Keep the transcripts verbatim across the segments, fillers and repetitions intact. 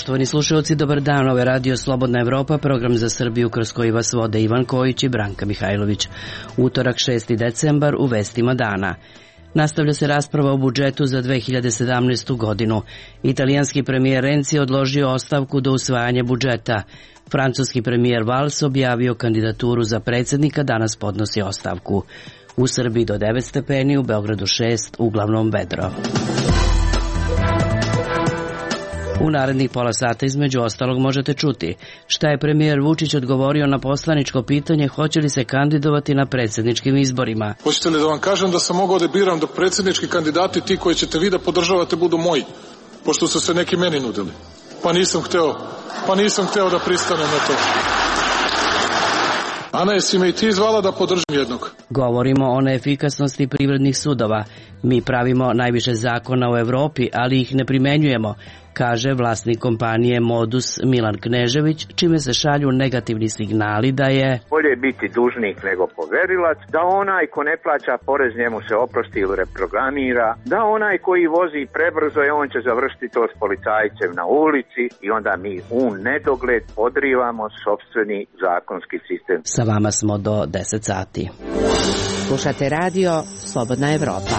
Poštovani slušalci, dobar dan. Ovo je Radio Slobodna Evropa, program za Srbiju kroz koji vas vode Ivan Kojić i Branka Mihajlović. Utorak šesti decembar u vestima dana. Nastavlja se rasprava o budžetu za dve hiljade sedamnaestu. godinu. Italijanski premijer Renzi odložio ostavku do usvajanja budžeta. Francuski premijer Valls objavio kandidaturu za predsjednika, danas podnosi ostavku. U Srbiji do devet stepeni, u Beogradu šest, uglavnom vedro. U narednih pola sata između ostalog možete čuti šta je premijer Vučić odgovorio na poslaničko pitanje hoće li se kandidovati na predsjedničkim izborima. Hoćete li da vam kažem da sam mogao da biram dok predsjednički kandidati, ti koji ćete vi da podržavate, budu moji, pošto su se neki meni nudili. Pa nisam hteo, pa nisam hteo da pristanem na to. Ana, jesi me i ti zvala da podržim jednog? Govorimo o neefikasnosti privrednih sudova. Mi pravimo najviše zakona u Evropi, ali ih ne primenjujemo, kaže vlasnik kompanije Modus Milan Knežević, čime se šalju negativni signali da je bolje biti dužnik nego poverilac, da onaj ko ne plaća porez njemu se oprosti ili reprogramira, da onaj koji vozi prebrzo je on će završiti to s policajcem na ulici i onda mi u nedogled podrivamo sopstveni zakonski sistem. Sa vama smo do deset sati. Slušate radio Slobodna Evropa.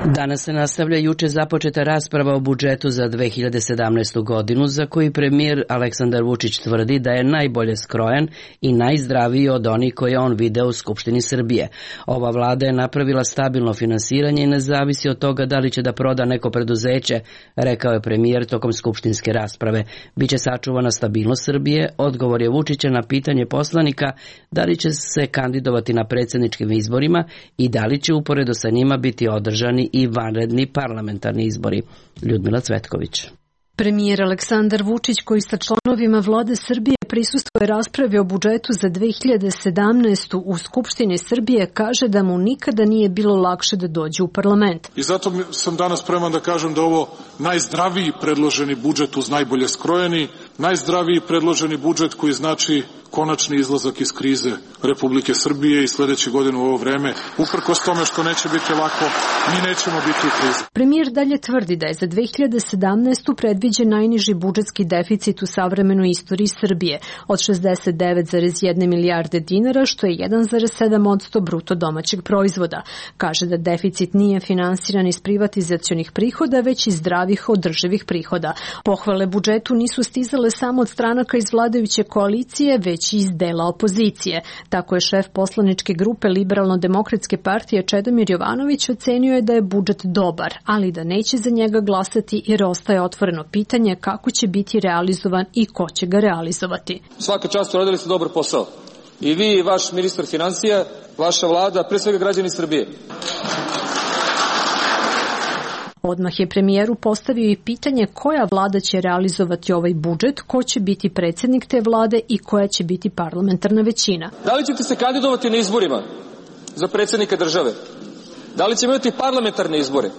Danas se nastavlja juče započeta rasprava o budžetu za dve hiljade sedamnaestu. godinu, za koji premijer Aleksandar Vučić tvrdi da je najbolje skrojen i najzdraviji od onih koje on video u Skupštini Srbije. Ova vlada je napravila stabilno finansiranje i ne zavisi od toga da li će da proda neko preduzeće, rekao je premijer tokom skupštinske rasprave. Biće sačuvana stabilnost Srbije, odgovor je Vučića na pitanje poslanika da li će se kandidovati na predsjedničkim izborima i da li će uporedo sa njima biti održani i vanredni parlamentarni izbori. Ljudmila Cvetković. Premijer Aleksandar Vučić, koji sa članovima vlade Srbije prisustvuje raspravi o budžetu za dve hiljade sedamnaestu. u Skupštini Srbije, kaže da mu nikada nije bilo lakše da dođe u parlament. I zato sam danas spreman da kažem da ovo najzdraviji predloženi budžet uz najbolje skrojeni, najzdraviji predloženi budžet koji znači konačni izlazak iz krize Republike Srbije i sledeće godine u ovo vreme, uprkos tome što neće biti lako, mi nećemo biti u krizi. Premijer dalje tvrdi da je za dve hiljade sedamnaestu. predviđen najniži budžetski deficit u savremenoj istoriji Srbije od šezdeset devet zarez jedna milijarde dinara, što je jedan zarez sedam posto bruto domaćeg proizvoda. Kaže da deficit nije finansiran iz privatizacionih prihoda, već iz zdravih održivih prihoda. Pohvale budžetu nisu stizale samo od stranaka iz vladajuće koalicije, već iz dela opozicije. Tako je šef poslaničke grupe Liberalno-demokratske partije Čedomir Jovanović ocenio je da je budžet dobar, ali da neće za njega glasati jer ostaje otvoreno pitanje kako će biti realizovan i ko će ga realizovati. Svaka čast, uradili ste dobar posao. I vi i vaš ministar financija, vaša vlada, pre svega građani Srbije. Odmah je premijeru postavio i pitanje koja vlada će realizovati ovaj budžet, ko će biti predsjednik te vlade i koja će biti parlamentarna većina. Da li ćete se kandidovati na izborima za predsjednika države? Da li ćemo imati parlamentarne izbore?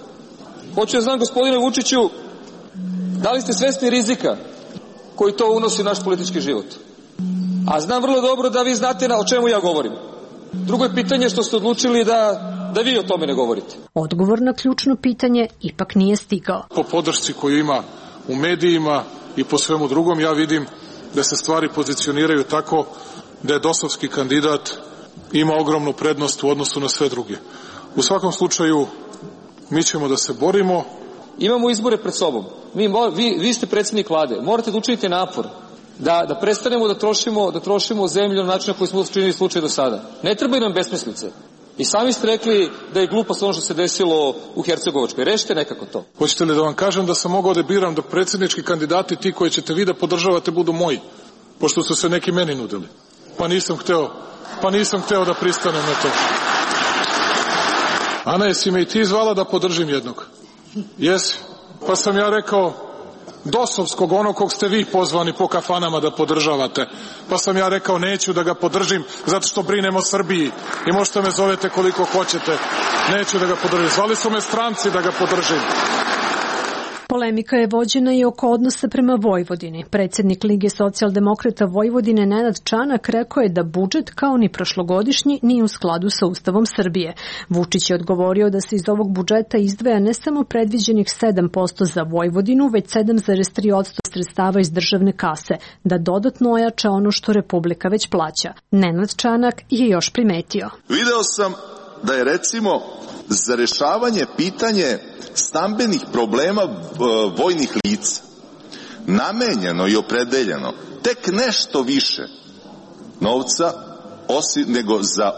Hoću da znam, gospodine Vučiću, da li ste svesni rizika koji to unosi u naš politički život? A znam vrlo dobro da vi znate o čemu ja govorim. Drugo je pitanje što ste odlučili da da vi o tome ne govorite. Odgovor na ključno pitanje ipak nije stigao. Po podršci koju ima u medijima i po svemu drugom, ja vidim da se stvari pozicioniraju tako da je dosovski kandidat ima ogromnu prednost u odnosu na sve druge. U svakom slučaju, mi ćemo da se borimo. Imamo izbore pred sobom. Mi, vi, vi ste predsjednik vlade. Morate da učinite napor da, da prestanemo da trošimo, da trošimo zemlju na način na koji smo učinili slučaj do sada. Ne trebaju nam besmislice. I sami ste rekli da je glupost ono što se desilo u Hercegovačkoj. Rešite nekako to. Hoćete li da vam kažem da sam mogao da biram dok predsjednički kandidati, ti koji ćete vi da podržavate, budu moji, pošto su se neki meni nudili. Pa nisam hteo, pa nisam hteo da pristanem na to. Ana, jesi me i ti zvala da podržim jednog? Jesi. Pa sam ja rekao dosovskog, onog kog ste vi pozvani po kafanama da podržavate. Pa sam ja rekao neću da ga podržim zato što brinem o Srbiji i možete me zovete koliko hoćete. Neću da ga podržim. Zvali su me stranci da ga podržim. Polemika je vođena i oko odnosa prema Vojvodini. Predsjednik Lige socijaldemokrata Vojvodine Nenad Čanak rekao je da budžet, kao ni prošlogodišnji, nije u skladu sa Ustavom Srbije. Vučić je odgovorio da se iz ovog budžeta izdvaja ne samo predviđenih sedam posto za Vojvodinu, već sedam zarez tri posto sredstava iz državne kase, da dodatno ojača ono što Republika već plaća. Nenad Čanak je još primetio. Video sam da je recimo za rešavanje pitanje stambenih problema vojnih lica namenjeno i opredeljeno tek nešto više novca osim nego za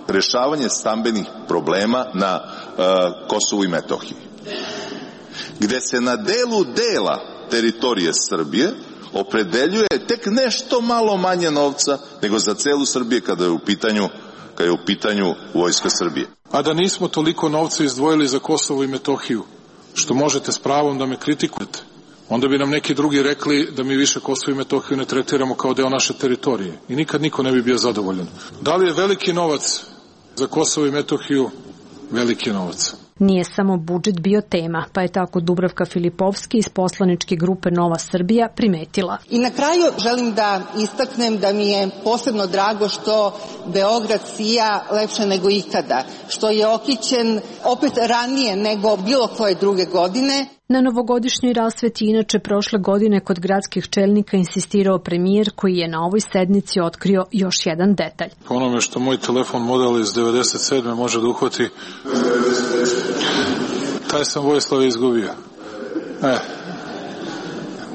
rešavanje stambenih problema na uh, Kosovu i Metohiji, gde se na delu dela teritorije Srbije opredeljuje tek nešto malo manje novca nego za celu Srbiju kada je u pitanju kada je u pitanju Vojska Srbije. A da nismo toliko novca izdvojili za Kosovo i Metohiju, što možete s pravom da me kritikujete, onda bi nam neki drugi rekli da mi više Kosovo i Metohiju ne tretiramo kao deo naše teritorije i nikad niko ne bi bio zadovoljan. Da li je veliki novac za Kosovo i Metohiju? Veliki novac. Nije samo budžet bio tema, pa je tako Dubravka Filipovski iz poslaničke grupe Nova Srbija primetila. I na kraju želim da istaknem da mi je posebno drago što Beograd sija lepše nego ikada, što je okićen opet ranije nego bilo koje druge godine. Na novogodišnjoj rasveti inače prošle godine kod gradskih čelnika insistirao premijer koji je na ovoj sednici otkrio još jedan detalj. Po onome što moj telefon model iz devedeset sedme može da uhvati, taj sam Vojislav izgubio. E,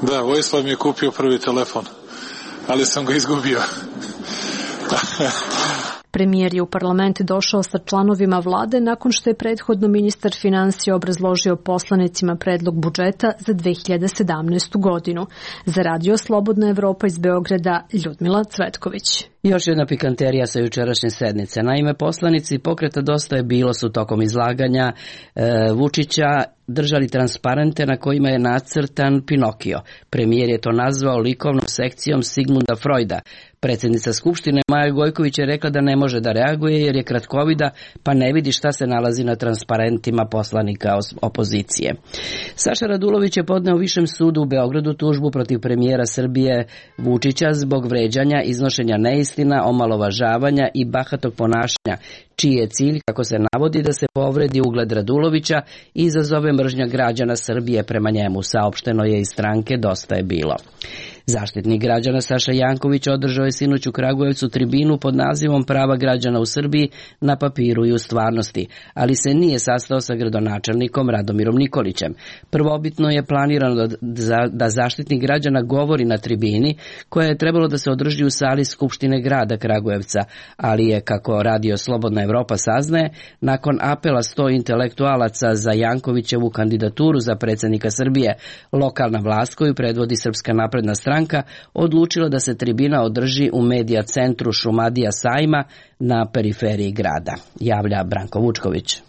da, Vojislav mi je kupio prvi telefon, ali sam ga izgubio. Premijer je u parlament došao sa članovima vlade nakon što je prethodno ministar finansija obrazložio poslanicima predlog budžeta za dve hiljade sedamnaestu. godinu. Za Radio Slobodna Evropa iz Beograda, Ljudmila Cvetković. Još jedna pikanterija sa jučerašnje sednice. Naime, poslanici Pokreta Dosta je bilo su tokom izlaganja e, Vučića držali transparente na kojima je nacrtan Pinokio. Premijer je to nazvao likovnom sekcijom Sigmunda Freuda. Predsjednica Skupštine Maja Gojković je rekla da ne može da reaguje jer je kratkovida pa ne vidi šta se nalazi na transparentima poslanika opozicije. Saša Radulović je podneo Višem sudu u Beogradu tužbu protiv premijera Srbije Vučića zbog vređanja, iznošenja neistina, omalovažavanja i bahatog ponašanja, čiji je cilj, kako se navodi, da se povredi ugled Radulovića i izazove mržnja građana Srbije prema njemu, saopšteno je iz stranke Dosta je bilo. Zaštitnik građana Saša Janković održao je sinoć u Kragujevcu tribinu pod nazivom Prava građana u Srbiji na papiru i u stvarnosti, ali se nije sastao sa gradonačelnikom Radomirom Nikolićem. Prvobitno je planirano da, da zaštitnik građana govori na tribini koja je trebalo da se održi u sali Skupštine grada Kragujevca, ali je, kako Radio Slobodna Evropa saznaje, nakon apela sto intelektualaca za Jankovićevu kandidaturu za predsjednika Srbije, lokalna vlast koju predvodi Srpska napredna stranka odlučila da se tribina održi u medija centru Šumadija Sajma na periferiji grada, javlja Branko Vučković.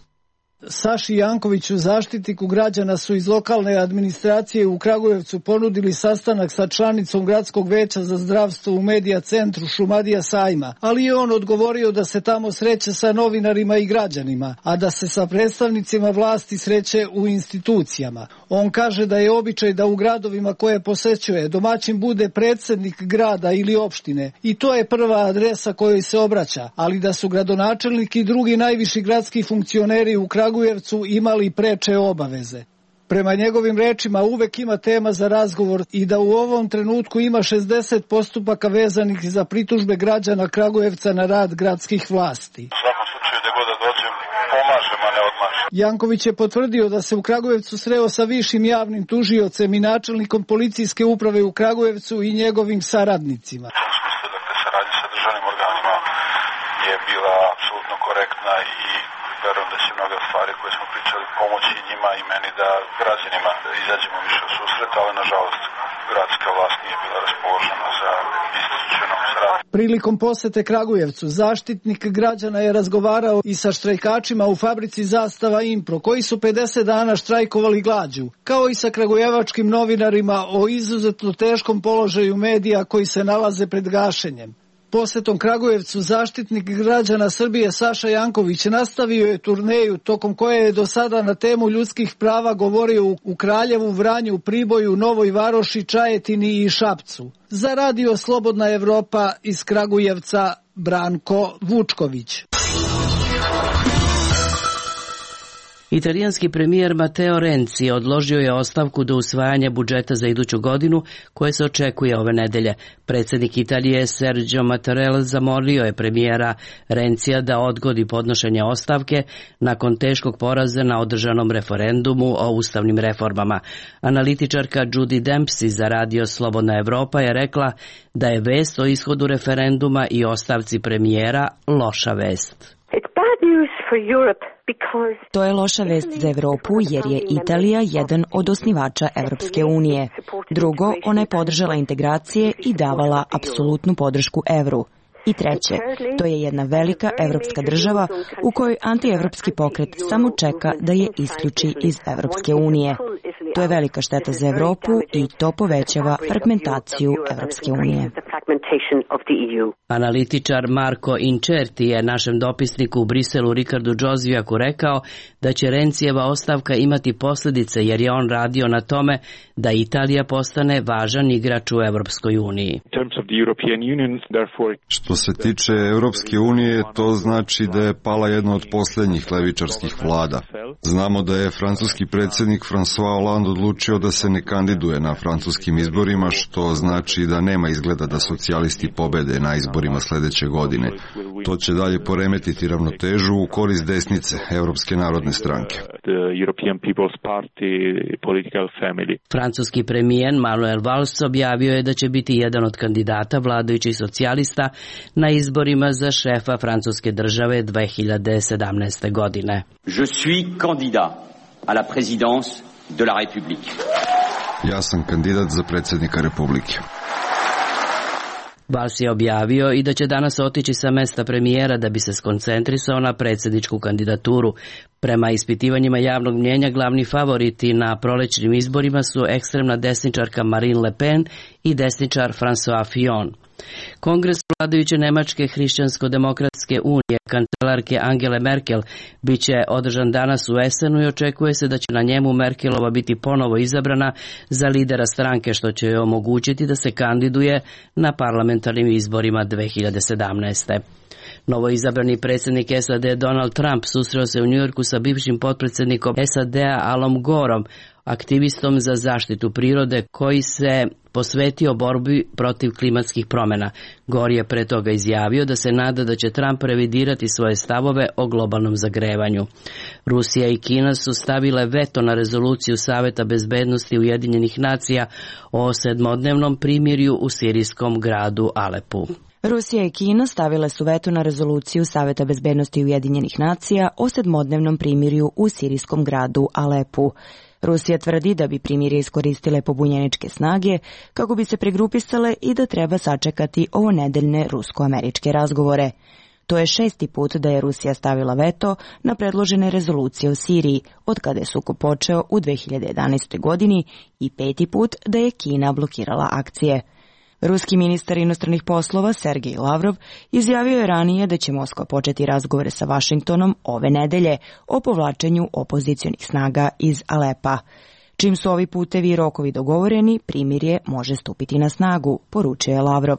Saši Jankoviću, zaštitniku građana, su iz lokalne administracije u Kragujevcu ponudili sastanak sa članicom Gradskog veća za zdravstvo u medija centru Šumadija Sajma, ali je on odgovorio da se tamo sreće sa novinarima i građanima, a da se sa predstavnicima vlasti sreće u institucijama. On kaže da je običaj da u gradovima koje posećuje domaćin bude predsjednik grada ili opštine i to je prva adresa kojoj se obraća, ali da su gradonačelnik i drugi najviši gradski funkcioneri u Kragujevcu imali preče obaveze. Prema njegovim rečima uvek ima tema za razgovor i da u ovom trenutku ima šezdeset postupaka vezanih za pritužbe građana Kragujevca na rad gradskih vlasti. U svakom slučaju da god da dođem, pomažem, a ne odmažem. Janković je potvrdio da se u Kragujevcu sreo sa višim javnim tužiocem i načelnikom policijske uprave u Kragujevcu i njegovim saradnicima. U tom smislu, dakle, saradnja sa državnim organima je bila apsolutno korektna i verujem da će mnoge stvari koje smo pričali pomoći njima i meni da građanima izađemo više u susret, ali nažalost gradska vlast nije bila raspoložena za institucionalnu saradnju. Prilikom posete Kragujevcu zaštitnik građana je razgovarao i sa štrajkačima u fabrici Zastava Impro, koji su pedeset dana štrajkovali glađu, kao i sa kragujevačkim novinarima o izuzetno teškom položaju medija koji se nalaze pred gašenjem. Posetom Kragujevcu zaštitnik građana Srbije Saša Janković nastavio je turneju tokom koje je do sada na temu ljudskih prava govorio u Kraljevu, Vranju, Priboju, Novoj Varoši, Čajetini i Šapcu. Za radio Slobodna Evropa iz Kragujevca Branko Vučković. Italijanski premijer Matteo Renzi odložio je ostavku do usvajanja budžeta za iduću godinu koje se očekuje ove nedelje. Predsjednik Italije Sergio Mattarella zamolio je premijera Renzija da odgodi podnošenje ostavke nakon teškog poraza na održanom referendumu o ustavnim reformama. Analitičarka Judy Dempsey za radio Slobodna Evropa je rekla da je vest o ishodu referenduma i ostavci premijera loša vest. To je loša vest za Evropu jer je Italija jedan od osnivača Evropske unije. Drugo, ona je podržala integracije i davala apsolutnu podršku evru. I treće, to je jedna velika evropska država u kojoj antievropski pokret samo čeka da je isključi iz Evropske unije. To je velika šteta za Evropu i to povećava fragmentaciju Evropske unije. Analitičar Marko Incerti je našem dopisniku u Briselu Ricardu Džozvijaku rekao da će Rencijeva ostavka imati posljedice jer je on radio na tome da Italija postane važan igrač u Evropskoj uniji. Što se tiče Evropske unije, to znači da je pala jedna od posljednjih levičarskih vlada. Znamo da je francuski predsjednik François Hollande odlučio da se ne kandiduje na francuskim izborima, što znači da nema izgleda da socijalisti pobede na izborima sljedeće godine. To će dalje poremetiti ravnotežu u korist desnice, Evropske narodne stranke. Francuski premijer Manuel Valls objavio je da će biti jedan od kandidata vladajućih socijalista na izborima za šefa francuske države dve hiljade sedamnaeste. godine. Je suis candidat à la présidence de la République. Ja sam kandidat za predsjednika Republike. Valls je objavio i da će danas otići sa mesta premijera da bi se skoncentrisao na predsjedničku kandidaturu. Prema ispitivanjima javnog mnjenja glavni favoriti na prolećnim izborima su ekstremna desničarka Marine Le Pen i desničar François Fillon. Kongres vladajuće Nemačke hrišćansko-demokratske unije kancelarke Angele Merkel biće održan danas u Essenu i očekuje se da će na njemu Merkelova biti ponovo izabrana za lidera stranke, što će joj omogućiti da se kandiduje na parlamentarnim izborima dve hiljade sedamnaeste. Novo izabrani predsjednik S A D Donald Trump susreo se u Njujorku sa bivšim potpredsjednikom S A D-a Alom Goreom, aktivistom za zaštitu prirode koji se posvetio borbi protiv klimatskih promjena. Gore je pre toga izjavio da se nada da će Trump revidirati svoje stavove o globalnom zagrevanju. Rusija i Kina su stavile veto na rezoluciju Saveta bezbednosti Ujedinjenih nacija o sedmodnevnom primirju u sirijskom gradu Alepu. Rusija i Kina stavile su veto na rezoluciju Saveta bezbednosti Ujedinjenih nacija o sedmodnevnom primirju u sirijskom gradu Alepu. Rusija tvrdi da bi primirje iskoristile pobunjeničke snage kako bi se pregrupisale i da treba sačekati ovonedeljne rusko-američke razgovore. To je šesti put da je Rusija stavila veto na predložene rezolucije o Siriji, od kada je sukob počeo u dve hiljade jedanaestoj. godini i peti put da je Kina blokirala akcije. Ruski ministar inostranih poslova Sergej Lavrov izjavio je ranije da će Moskva početi razgovore sa Vašingtonom ove nedelje o povlačenju opozicionih snaga iz Alepa. Čim su ovi putevi i rokovi dogovoreni, primirje može stupiti na snagu, poručio je Lavrov.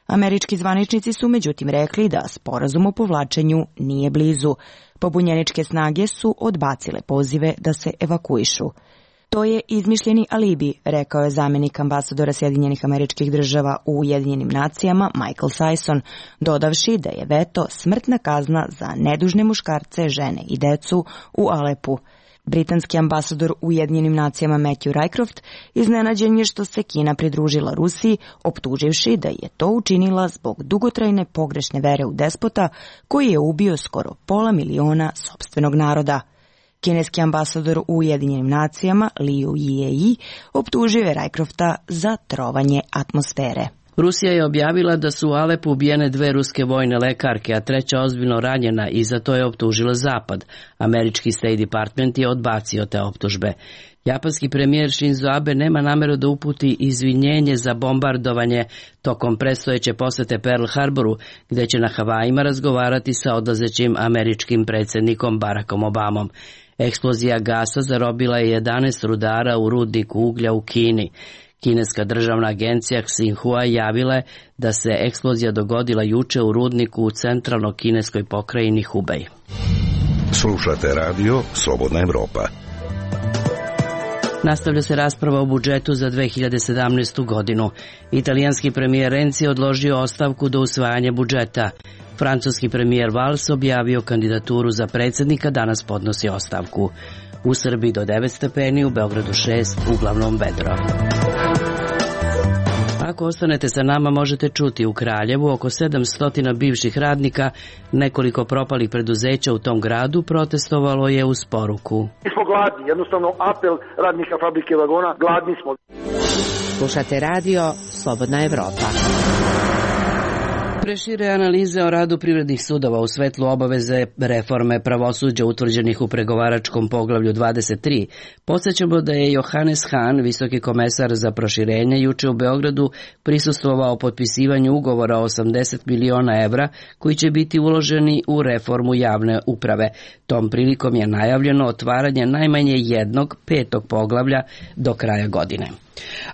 Američki zvaničnici su međutim rekli da sporazum o povlačenju nije blizu. Pobunjeničke snage su odbacile pozive da se evakuišu. To je izmišljeni alibi, rekao je zamjenik ambasadora Sjedinjenih Američkih Država u Ujedinjenim nacijama Michael Sison, dodavši da je veto smrtna kazna za nedužne muškarce, žene i decu u Alepu. Britanski ambasador u Ujedinjenim nacijama Matthew Rycroft iznenađen je što se Kina pridružila Rusiji, optuživši da je to učinila zbog dugotrajne pogrešne vere u despota koji je ubio skoro pola miliona sopstvenog naroda. Kineski ambasador u Ujedinjenim nacijama Liu Jieyi optužio je Rycrofta za trovanje atmosfere. Rusija je objavila da su u Alepu ubijene dve ruske vojne lekarke, a treća ozbiljno ranjena i za to je optužila Zapad. Američki State Department je odbacio te optužbe. Japanski premijer Shinzo Abe nema nameru da uputi izvinjenje za bombardovanje tokom predstojeće posete Pearl Harboru, gde će na Havajima razgovarati sa odlazećim američkim predsjednikom Barackom Obamom. Eksplozija gasa zarobila je jedanaest rudara u rudniku uglja u Kini. Kineska državna agencija Xinhua javila je da se eksplozija dogodila juče u rudniku u centralno kineskoj pokrajini Hubei. Slušate radio Slobodna Evropa. Nastavlja se rasprava o budžetu za dve hiljade sedamnaestu. godinu. Italijanski premijer Renzi odložio ostavku do usvajanja budžeta. Francuski premijer Valls objavio kandidaturu za predsjednika, danas podnosi ostavku. U Srbiji do devet stepeni, u Beogradu šest, uglavnom vedro. Ako ostanete sa nama, možete čuti u Kraljevu oko sedamsto bivših radnika, nekoliko propalih preduzeća u tom gradu protestovalo je uz poruku. Mi smo gladni, jednostavno apel radnika fabrike vagona, gladni smo. Slušate radio Slobodna Evropa. Prešire analize o radu privrednih sudova u svetlu obaveze reforme pravosuđa utvrđenih u pregovaračkom poglavlju dvadeset tri. Podsjećamo da je Johannes Hahn, visoki komesar za proširenje, juče u Beogradu prisustvovao potpisivanju ugovora o osamdeset miliona evra koji će biti uloženi u reformu javne uprave. Tom prilikom je najavljeno otvaranje najmanje jednog petog poglavlja do kraja godine.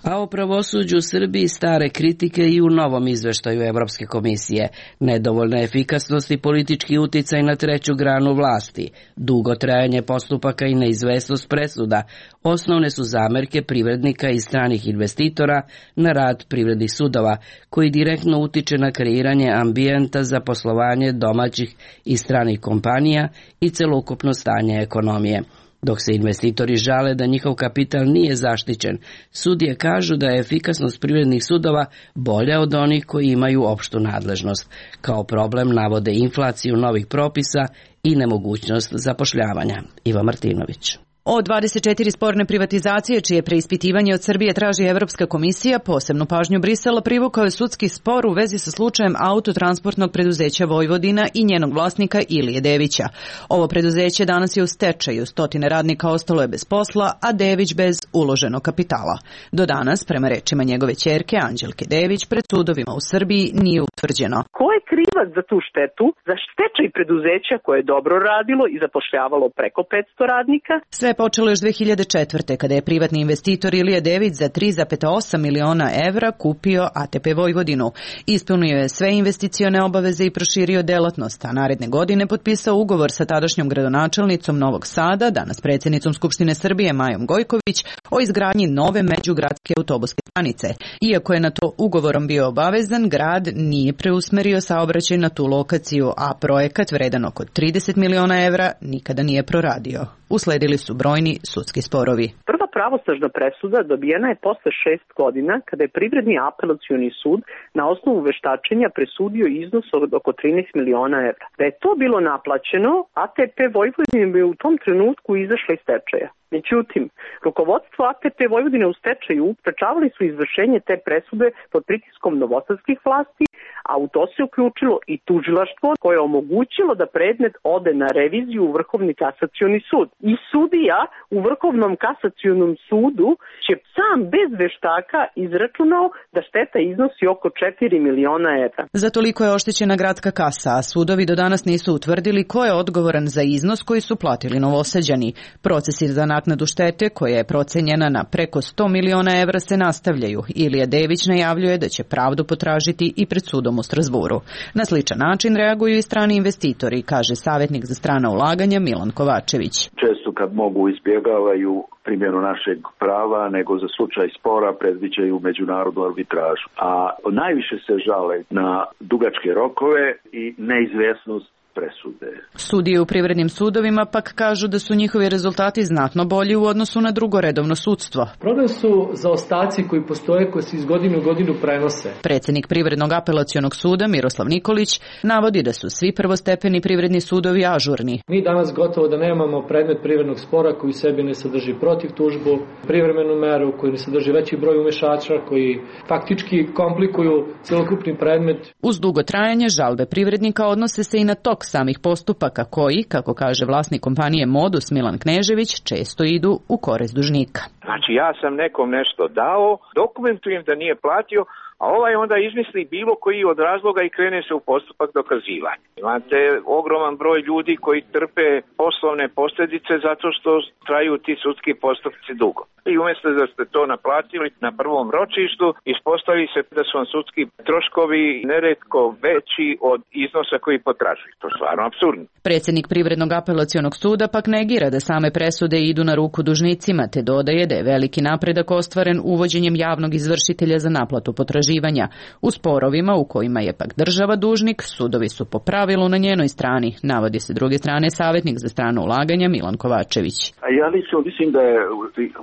A o pravosuđu u Srbiji stare kritike i u novom izveštaju Evropske komisije. Nedovoljna efikasnost i politički uticaj na treću granu vlasti, dugo trajanje postupaka i neizvesnost presuda osnovne su zamerke privrednika i stranih investitora na rad privrednih sudova, koji direktno utiče na kreiranje ambijenta za poslovanje domaćih i stranih kompanija i celokupno stanje ekonomije. Dok se investitori žale da njihov kapital nije zaštićen, sudije kažu da je efikasnost privrednih sudova bolja od onih koji imaju opštu nadležnost. Kao problem navode inflaciju novih propisa i nemogućnost zapošljavanja. Iva Martinović. O dvadeset četiri sporne privatizacije, čije preispitivanje od Srbije traži Evropska komisija, posebnu pažnju Brisela privukao je sudski spor u vezi sa slučajem autotransportnog preduzeća Vojvodina i njenog vlasnika Ilije Devića. Ovo preduzeće danas je u stečaju, stotine radnika ostalo je bez posla, a Dević bez uloženog kapitala. Do danas, prema rečima njegove ćerke Anđelke Dević, pred sudovima u Srbiji nije utvrđeno. Ko je krivac za tu štetu, za stečaj preduzeća koje je dobro radilo i zapošljavalo preko petsto radnika? Sve počelo još dve hiljade četvrte. kada je privatni investitor Ilija Dević za tri zarez osam miliona evra kupio A T P Vojvodinu. Ispunio je sve investicione obaveze i proširio delatnost, a naredne godine potpisao ugovor sa tadašnjom gradonačelnicom Novog Sada, danas predsjednicom Skupštine Srbije Majom Gojković, o izgradnji nove međugradske autobuske stanice. Iako je na to ugovorom bio obavezan, grad nije preusmerio saobraćaj na tu lokaciju, a projekat vredan oko trideset miliona evra nikada nije proradio. Usledili su brojni sudski sporovi. Prva pravosnažna presuda dobijena je posle šest godina, kada je Privredni apelacioni sud na osnovu veštačenja presudio iznos od oko trinaest miliona evra. Da je to bilo naplaćeno, A T P Vojvodine bi u tom trenutku izašla iz stečaja. Međutim, rukovodstvo A T P Vojvodine u stečaju sprečavali su izvršenje te presude pod pritiskom novosadskih vlasti, a u to se uključilo i tužilaštvo koje je omogućilo da predmet ode na reviziju u Vrhovni kasacioni sud. I sudija u Vrhovnom kasacionom sudu će sam bez veštaka izračunao da šteta iznosi oko četiri miliona evra. Za toliko je oštećena gradska kasa, a sudovi do danas nisu utvrdili ko je odgovoran za iznos koji su platili Novosađani. Procesi za naknadu štete, koja je procenjena na preko sto miliona evra, se nastavljaju. Ilija Dević najavljuje da će pravdu potražiti i pred sudom u Strasburu. Na sličan način reaguju i strani investitori, kaže savjetnik za strana ulaganja Milan Kovačević. Često kad mogu izbjegavaju primjenu našeg prava, nego za slučaj spora predviđaju međunarodnu arbitražu. A najviše se žale na dugačke rokove i neizvjesnost presude. Sudije u privrednim sudovima pak kažu da su njihovi rezultati znatno bolji u odnosu na drugoredovno sudstvo. Problem su zaostaci koji postoje, koji se iz godine u godinu prenose. Predsednik Privrednog apelacionog suda Miroslav Nikolić navodi da su svi prvostepeni privredni sudovi ažurni. Mi danas gotovo da nemamo predmet privrednog spora koji sebi ne sadrži protiv tužbu, privremenu meru koji ne sadrži veći broj umešača, koji faktički komplikuju celokupni predmet. Uz dugo trajanje žalbe privrednika odnose se i na tok samih postupaka koji, kako kaže vlasnik kompanije Modus Milan Knežević, često idu u korist dužnika. Znači ja sam nekom nešto dao, dokumentujem da nije platio, a ovaj onda izmisli bilo koji od razloga i krene se u postupak dokazivanja. Imate ogroman broj ljudi koji trpe poslovne posljedice zato što traju ti sudski postupci dugo. I umjesto da ste to naplatili na prvom ročištu, ispostavi se da su vam sudski troškovi neretko veći od iznosa koji potražuju. To je stvarno apsurdno. Predsjednik Privrednog apelacionog suda pak negira da same presude idu na ruku dužnicima, te dodaje da je veliki napredak ostvaren uvođenjem javnog izvršitelja za naplatu potraživanja. U sporovima u kojima je pak država dužnik, sudovi su po pravilu na njenoj strani, navodi se druge strane savjetnik za strano ulaganja Milan Kovačević. A ja lično mislim da je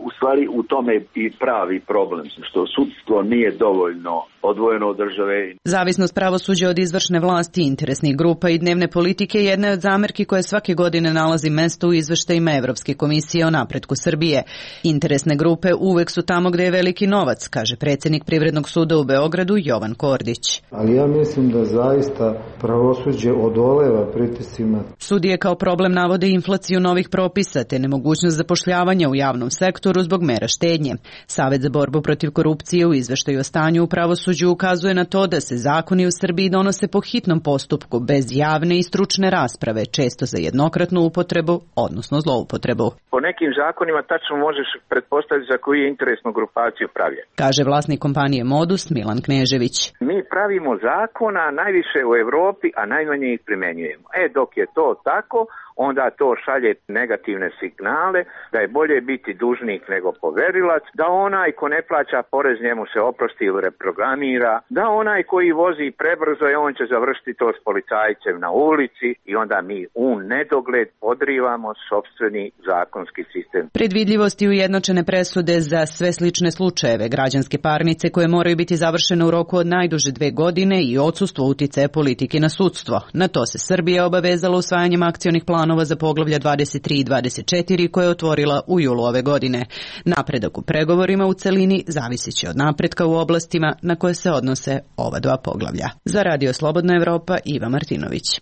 u stvari u tome i pravi problem, što sudstvo nije dovoljno odvojeno od države. Zavisnost pravosuđa od izvršne vlasti, interesnih grupa i dnevne politike je jedna od zamerki koje svake godine nalazi mesto u izveštajima Evropske komisije o napretku Srbije. Interesne grupe uvek su tamo gde je veliki novac, kaže predsjednik Privrednog suda u Beogradu Jovan Kordić. Ali ja mislim da zaista pravosuđe odoleva pritiscima. Sudije kao problem navode inflaciju novih propisa te nemogućnost zapošljavanja u javnom sektoru zbog mera štednje. Savet za borbu protiv korupcije u izveštaju o stanju u pravosuđu ukazuje na to da se zakoni u Srbiji donose po hitnom postupku bez javne i stručne rasprave, često za jednokratnu upotrebu, odnosno zloupotrebu. Po nekim zakonima tačno možeš pretpostaviti za koju je interesnu grupaciju pravljen, kaže vlasnik kompanije Modus Milan Knežević. Mi pravimo zakona najviše u Evropi, a najmanje ih primenjujemo. E, dok je to tako, onda to šalje negativne signale da je bolje biti dužnik nego poverilac, da onaj ko ne plaća porez njemu se oprosti ili reprogramira, da onaj koji vozi prebrzo je on će završiti to s policajcem na ulici i onda mi u nedogled podrivamo sopstveni zakonski sistem. Predvidljivost i ujednačene presude za sve slične slučajeve, građanske parnice koje moraju biti završene u roku od najduže dve godine i odsustvo uticaja politike na sudstvo. Na to se Srbija obavezala usvajanjem akcionih planova za poglavlja dvadeset tri i dvadeset četiri koje je otvorila u julu ove godine. Napredak u pregovorima u celini zavisiće od napretka u oblastima na koje se odnose ova dva poglavlja. Za Radio Slobodna Evropa, Iva Martinović.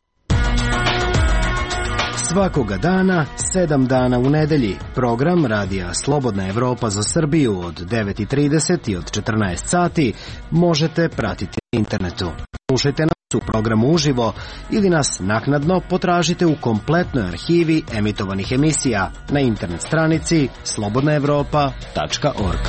Svakoga dana, sedam dana u nedelji. Program Radija Slobodna Evropa za Srbiju od devet i trideset i od četrnaest sati možete pratiti na internetu. Slušajte nas u programu uživo ili nas naknadno potražite u kompletnoj arhivi emitovanih emisija na internet stranici slobodna evropa tačka org.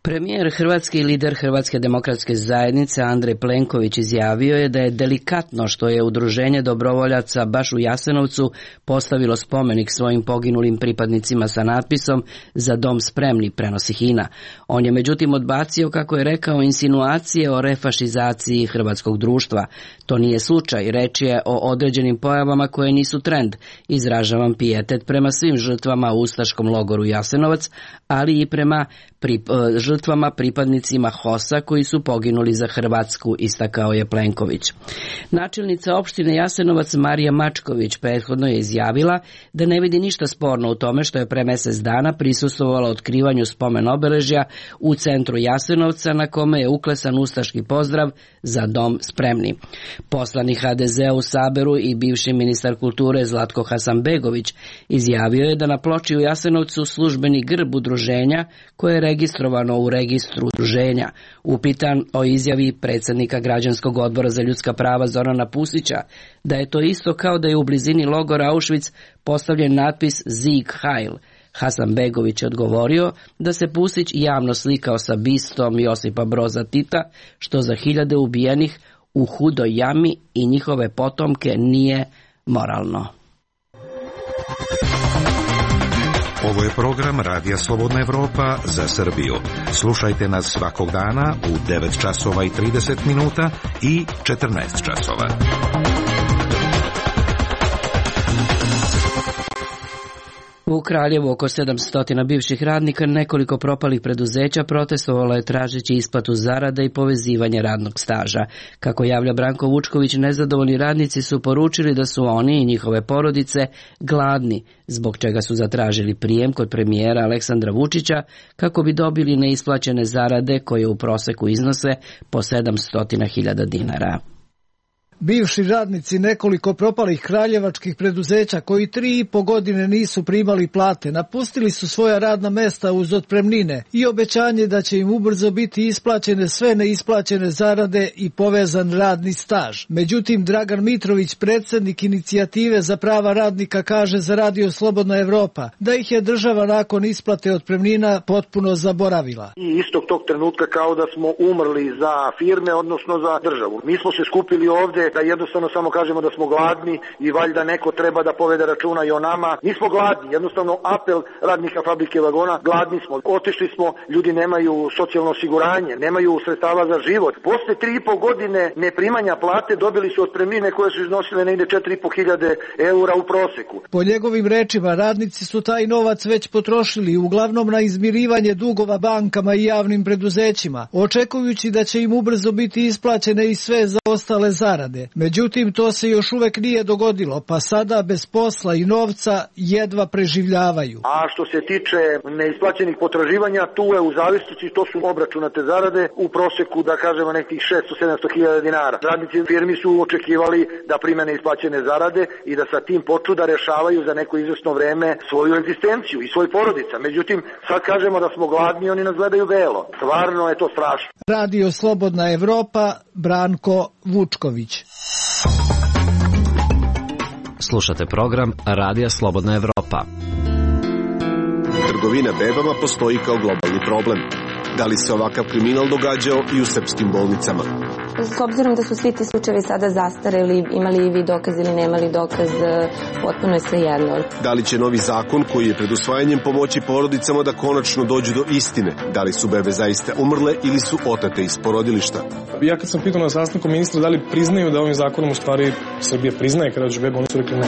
Premijer Hrvatske i lider Hrvatske demokratske zajednice Andrej Plenković izjavio je da je delikatno što je Udruženje dobrovoljaca baš u Jasenovcu postavilo spomenik svojim poginulim pripadnicima sa natpisom "Za dom spremni", prenosi Hina. On je međutim odbacio, kako je rekao, insinuacije o refašizaciji hrvatskog društva. To nije slučaj, reč je o određenim pojavama koje nisu trend. Izražavam pijetet prema svim žrtvama u ustaškom logoru Jasenovac, ali i prema pri, žrtvama pripadnicima HOS-a koji su poginuli za Hrvatsku, istakao je Plenković. Načelnica opštine Jasenovac Marija Mačković prethodno je izjavila da ne vidi ništa sporno u tome što je pre mesec dana prisustvovala otkrivanju spomen obeležja u centru Jasenovca na kome je uklesan ustaški pozdrav "Za dom spremni". Poslanik ha de zea u Saberu i bivši ministar kulture Zlatko Hasanbegović izjavio je da na ploči u Jasenovcu službeni grb udruženja koje je registrovano u registru udruženja. Upitan o izjavi predsjednika Građanskog odbora za ljudska prava Zorana Pusića da je to isto kao da je u blizini logora Auschwitz postavljen natpis "Sieg Heil", Hasanbegović je odgovorio da se Pusić javno slikao sa bistom Josipa Broza Tita, što za hiljade ubijenih u hudoj jami i njihove potomke nije moralno. Ovo je program Radija Slobodna Evropa za Srbiju. Slušajte nas svakog dana u devet časova i trideset minuta i četrnaest časova. U Kraljevu oko sedamsto bivših radnika nekoliko propalih preduzeća protestovalo je tražeći isplatu zarada i povezivanje radnog staža. Kako javlja Branko Vučković, nezadovoljni radnici su poručili da su oni i njihove porodice gladni, zbog čega su zatražili prijem kod premijera Aleksandra Vučića kako bi dobili neisplaćene zarade koje u proseku iznose po sedamsto hiljada dinara. Bivši radnici nekoliko propalih kraljevačkih preduzeća koji tri i po godine nisu primali plate napustili su svoja radna mesta uz otpremnine i obećanje da će im ubrzo biti isplaćene sve neisplaćene zarade i povezan radni staž. Međutim, Dragan Mitrović, predsjednik inicijative za prava radnika, kaže za Radio Slobodna Evropa da ih je država nakon isplate otpremnina potpuno zaboravila. I istog tog trenutka kao da smo umrli za firme, odnosno za državu. Mi smo se skupili ovde da jednostavno samo kažemo da smo gladni i valjda neko treba da povede računa i o nama. Nismo gladni, jednostavno apel radnika fabrike vagona, gladni smo. Otišli smo, ljudi nemaju socijalno osiguranje, nemaju sredstava za život. Posle tri i po godine neprimanja plate dobili su otpremnine koje su iznosile negde četiri i po hiljade eura u proseku. Po njegovim rečima, radnici su taj novac već potrošili uglavnom na izmirivanje dugova bankama i javnim preduzećima, očekujući da će im ubrzo biti isplaćene i sve zaostale zarade. Međutim, to se još uvek nije dogodilo, pa sada bez posla i novca jedva preživljavaju. A što se tiče neisplaćenih potraživanja, tu je u zavisnosti, to su obračunate zarade u proseku, da kažemo, nekih šesto do sedamsto hiljada dinara. Radnici firmi su očekivali da prime neisplaćene zarade i da sa tim počnu da rešavaju za neko izvesno vreme svoju egzistenciju i svoj porodica. Međutim, sad kažemo da smo gladni, oni nas gledaju belo. Stvarno je to strašno. Radio Slobodna Evropa, Branko Vučković. Slušate program Radija Slobodna Evropa. Trgovina bebama postoji kao globalni problem. Da li se ovakav kriminal događao i u srpskim bolnicama? S obzirom da su svi ti slučajevi sada zastareli, imali vi dokaz ili nemali dokaz, potpuno je svejedno. Da li će novi zakon koji je pred usvajanjem pomoći porodicama da konačno dođu do istine? Da li su bebe zaista umrle ili su otate iz porodilišta? Ja kad sam pitao na sastanku ministra da li priznaju da ovim zakonom u stvari Srbija priznaje kada dođe bebe, oni su rekli ne.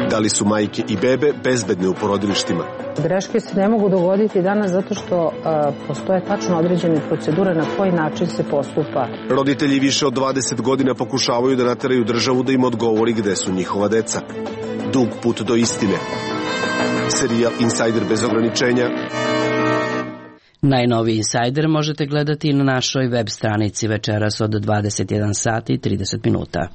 Da li su majke i bebe bezbedne u porodilištima? Greške se ne mogu dogoditi danas zato što a, postoje tačno određene procedure na koji način se postupa. Roditelji više od dvadeset godina pokušavaju da nateraju državu da im odgovori gde su njihova deca. Dug put do istine. Serijal Insider bez ograničenja. Najnoviji Insider možete gledati na našoj web stranici večeras od dvadeset jedan sati i trideset minuta.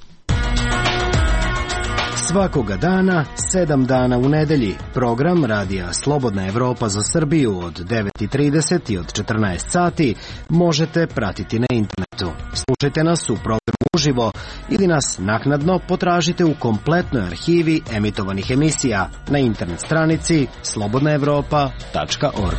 Svakoga dana, sedam dana u nedelji, program Radija Slobodna Evropa za Srbiju od devet i trideset i od četrnaest sati možete pratiti na internetu. Slušajte nas u programu uživo ili nas naknadno potražite u kompletnoj arhivi emitovanih emisija na internet stranici slobodna evropa tačka org.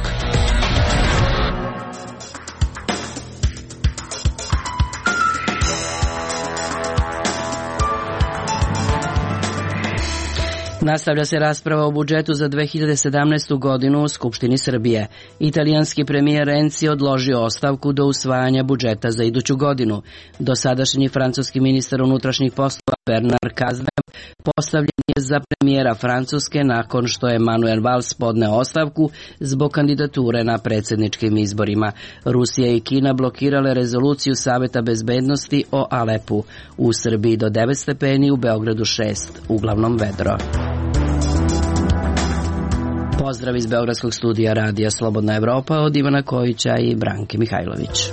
Nastavlja se rasprava o budžetu za dve hiljade sedamnaestu. godinu u Skupštini Srbije. Italijanski premijer Renzi odložio ostavku do usvajanja budžeta za iduću godinu. Dosadašnji francuski ministar unutrašnjih poslova Bernard Cazeneuve postavljen je za premijera Francuske nakon što je Manuel Valls podneo ostavku zbog kandidature na predsjedničkim izborima. Rusija i Kina blokirale rezoluciju Saveta bezbednosti o Alepu. U Srbiji do devet stepeni, u Beogradu šest, uglavnom vedro. Pozdrav iz Beogradskog studija Radija Slobodna Evropa od Ivana Kojića i Branke Mihajlović.